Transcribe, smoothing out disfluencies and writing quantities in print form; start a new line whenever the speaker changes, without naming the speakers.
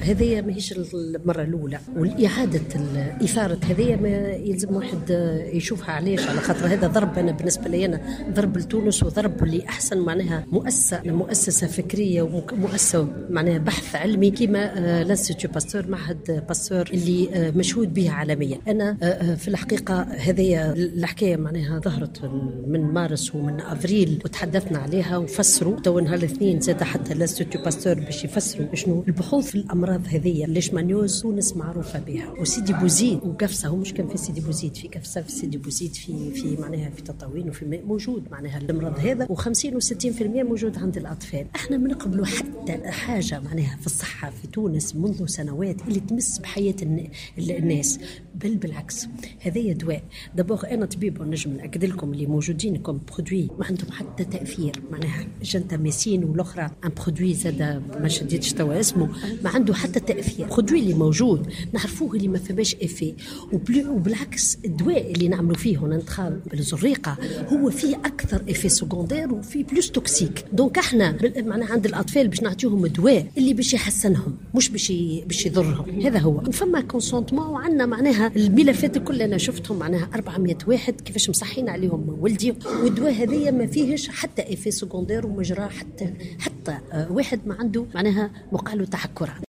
هذه ماهيش المرة الاولى، والاعاده اثاره هذه ما يلزم واحد يشوفها. علاش؟ على خاطر هذا ضرب، انا بالنسبة لي انا ضرب لتونس وضرب لاحسن معناها مؤسسه فكرية ومؤسسة معناها بحث علمي كما l'Institut Pasteur، معهد باستور اللي مشهود به عالميا. انا في الحقيقة هذه الحكاية معناها ظهرت من مارس ومن افريل وتحدثنا عليها وفسروا. تو نهار الاثنين زاد حتى l'Institut Pasteur باش يفسروا شنو البحوث في الامراض هذه. leishmaniose تونس معروفة بها، وسيدي بوزيد وقفصه، هو مش كان في سيدي بوزيد، في قفصه، في سيدي بوزيد، في معناها في تطاوين وفي موجود معناها المرض هذا، و50 و60% موجود عند الاطفال. احنا ما نقبلوا حتى حاجة معناها في الصحة في تونس منذ سنوات اللي تمس بحياة الناس، بل بالعكس هذا دواء. d'abord انا طبيب ونجم ناكد لكم اللي موجودين comme produits ما عندهم حتى تاثير، معناها gentamicine والاخرى un produit زاد ما شديتش توا اسمه، ما عنده حتى تاثير. produit اللي موجود نعرفوه اللي ما فماش effet، وبالعكس الدواء اللي نعملوا فيه وننتخاب بالزريقه هو فيه اكثر effets secondaires وفيه plus toxique. donc احنا معناها عند الاطفال باش نعطيهم دواء اللي باش يحسنهم مش باش يضرهم. هذا هو. وفما consentement وعندنا معناها الملفات الكل انا شفتهم معناها 400 واحد كيفاش مصحين عليهم ولدي، والدواء هذايا ما فيهش حتى effet secondaire ومجرى حتى واحد ما عنده معناها وقع له تحكرات.